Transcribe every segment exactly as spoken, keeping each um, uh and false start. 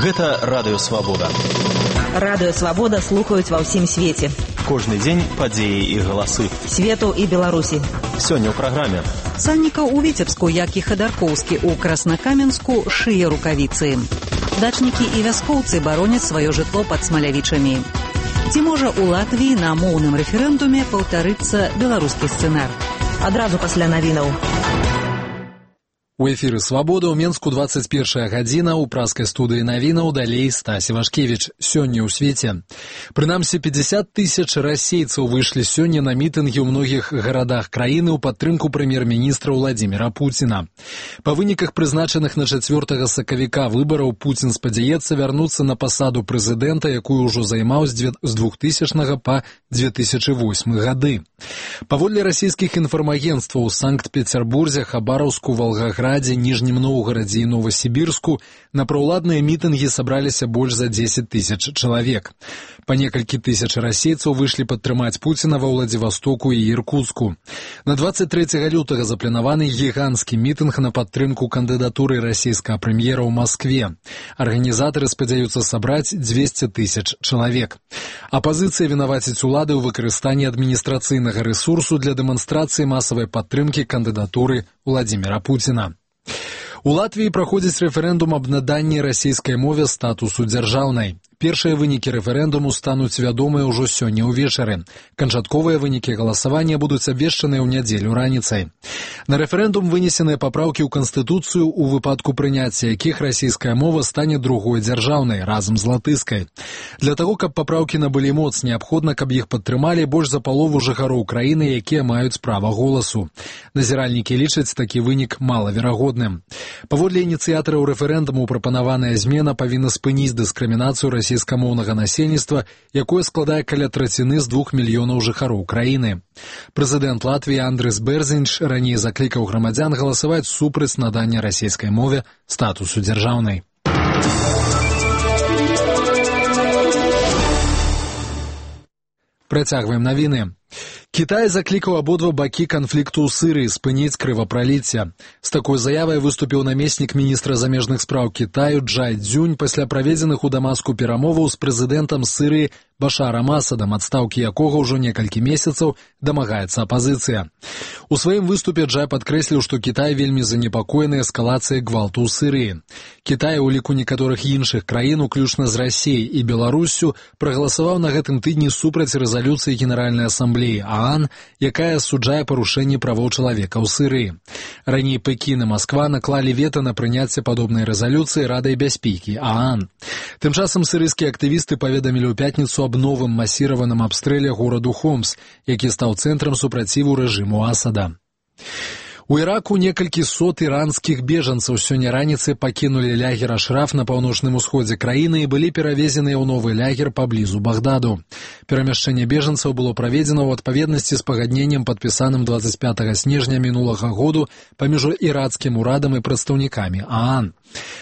Гэта Радыё Свабода. Радыё Свабода слухаюць ва ўсім свеце. Кожны дзень падзеі і галасы. Свету і Беларусі. Сёння ў праграме. Сальнікаў у Віцебску, як і Хадаркоўскі ў Краснакаменску, шые рукавіцы. Дачнікі і вяскоўцы бароняць сваё жытло пад Смалявічамі. Ці можа ў Латвіі на моўным рэферэндуме паўтарыцца беларускі сцэнар? Адразу пасля навінаў. У эфіры «Свабода» ў Менску двадцать першая гадзіна, у праскай студыі навінаў далей Стась Івашкевіч. Сёння ў свеце. Прынамсі пятьдесят тысяч расейцаў выйшлі сёння на мітынгі ў многіх гарадах краіны ў падтрымку прэм'ер-міністра Владзіміра Пуціна. Па выніках прызначаных на чацвёртага сакавіка выбараў Пуцін спадзяецца вярнуцца на пасаду прэзідэнта, якую ўжо займаў з двухтысячнага па две тысячы восьмы гады. Паводле расійскіх інфармагенцтваў у Санкт-Петербурзе, Хабараўску, Волгаградзе, Ніжнім Новгарадзе і Новасібірску на праўладныя мітынгі сабраліся больш за дзесяць тысяч чалавек. Па некалькі тысяч расейцаў выйшлі падтрымаць Пуціна ва Владзівастоку і Іркуцку. На двадцать трэцяга лютага запланаваны гіганцкі мітынг на падтрымку кандыдатуры расійскага прэм'ера ў Маскве. Арганізатары спадзяюцца сабраць дзвесце тысяч чалавек. Апазіцыя вінаваціць улады ў выкарыстанні адміністрацыйнага рэсурсу для дэманстрацыі масавай падтрымкі кандыдатуры Владзіміра Пуціна. У Латвіі праходзіць рэферэндум аб наданні расійскай мове статусу дзяржаўнай. Першыя вынікі рэферэндуму стануць вядомыя ўжо сёння ўвечары. Канчатковыя вынікі галасавання будуць абвешчаныя ў нядзелю раніцай. На рэферэндум вынесеныя папраўкі ў Канстытуцыю, у выпадку прыняцця якіх расійская мова стане другой дзяржаўнай, разам з латышскай. Для таго, каб папраўкі набылі моц, неабходна, каб іх падтрымалі больш за палову жыхароў краіны, якія маюць права голасу. Назіральнікі лічаць такі вынік малаверагодным. Паводле ініцыятараў рэферэндуму прапанаваная змена павінна спыніць дыскрымінацыю расійскамоўнага насельніцтва, якое складае каля траціны з двух мільёнаў жыхароў краіны. Прэзідэнт Латвіі Андрыс Бэрзінч раней заклікаў грамадзян галасаваць супраць надання расійскай мове статусу дзяржаўнай. Працягваем навіны. Кітай заклікаў абодва бакі канфлікту ў Сірыі спыніць крывапраліцце. З такой заявай выступіў намеснік міністра замежных спраў Кітаю Джай Цзюнь пасля праведзеных у Дамаску перамоваў з прэзідэнтам Сірыі Башарам Асадам, адстаўкі якога ўжо некалькі месяцаў дамагаецца апазіцыя. У сваім выступе Джай падкрэсліў, што Кітай вельмі занепакоены эскалацыяй гвалту ў Сірыі. Кітай у ліку некаторых іншых краін, уключна з Расіяй і Беларуссю, прагаласаваў на гэтым тыдні супраць рэзалюцыі Генеральнай асамблеі ААН, якая асуджае парушэнне правоў чалавека ў Сірыі. Раней Пекін і Масква наклалі вета на прыняцце падобнай рэзалюцыі Радай бяспекі ААН. Тым часам сірыйскія актывісты паведамілі ў пятніцу аб новым масіраваным абстрэле гораду Хомс, які стаў цэнтрам супраціву рэжыму Асада. У Іраку некалькі сот іранскіх бежанцаў сёння раніцай пакінулі лагер Ашраф на паўночным усходзе краіны і былі перавезеныя ў новы лагер паблізу Багдаду. Перамяшчэнне бежанцаў было праведзена ў адпаведнасці з пагадненнем, падпісаным двадцать пятага снежня мінулага году паміж ірацкім урадам і прадстаўнікамі ААН.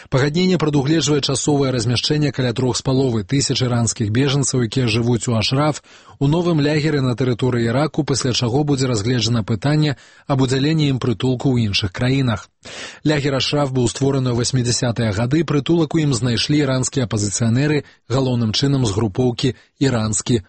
Пагадненне прадугледжвае часовае размяшчэнне каля трох з паловай тысяч іранскіх бежанцаў, якія жывуць у Ашраф, у новым лягеры на тэрыторыі Іраку, пасля чаго будзе разгледжана пытанне аб удзяленні ім прытулку ў іншых краінах. Лягер Ашраф быў створаны ў восьмідзясятыя гады, прытулак у ім знайшлі іранскія апазіцыянеры, галоўным чынам з групоўкі «Іранскі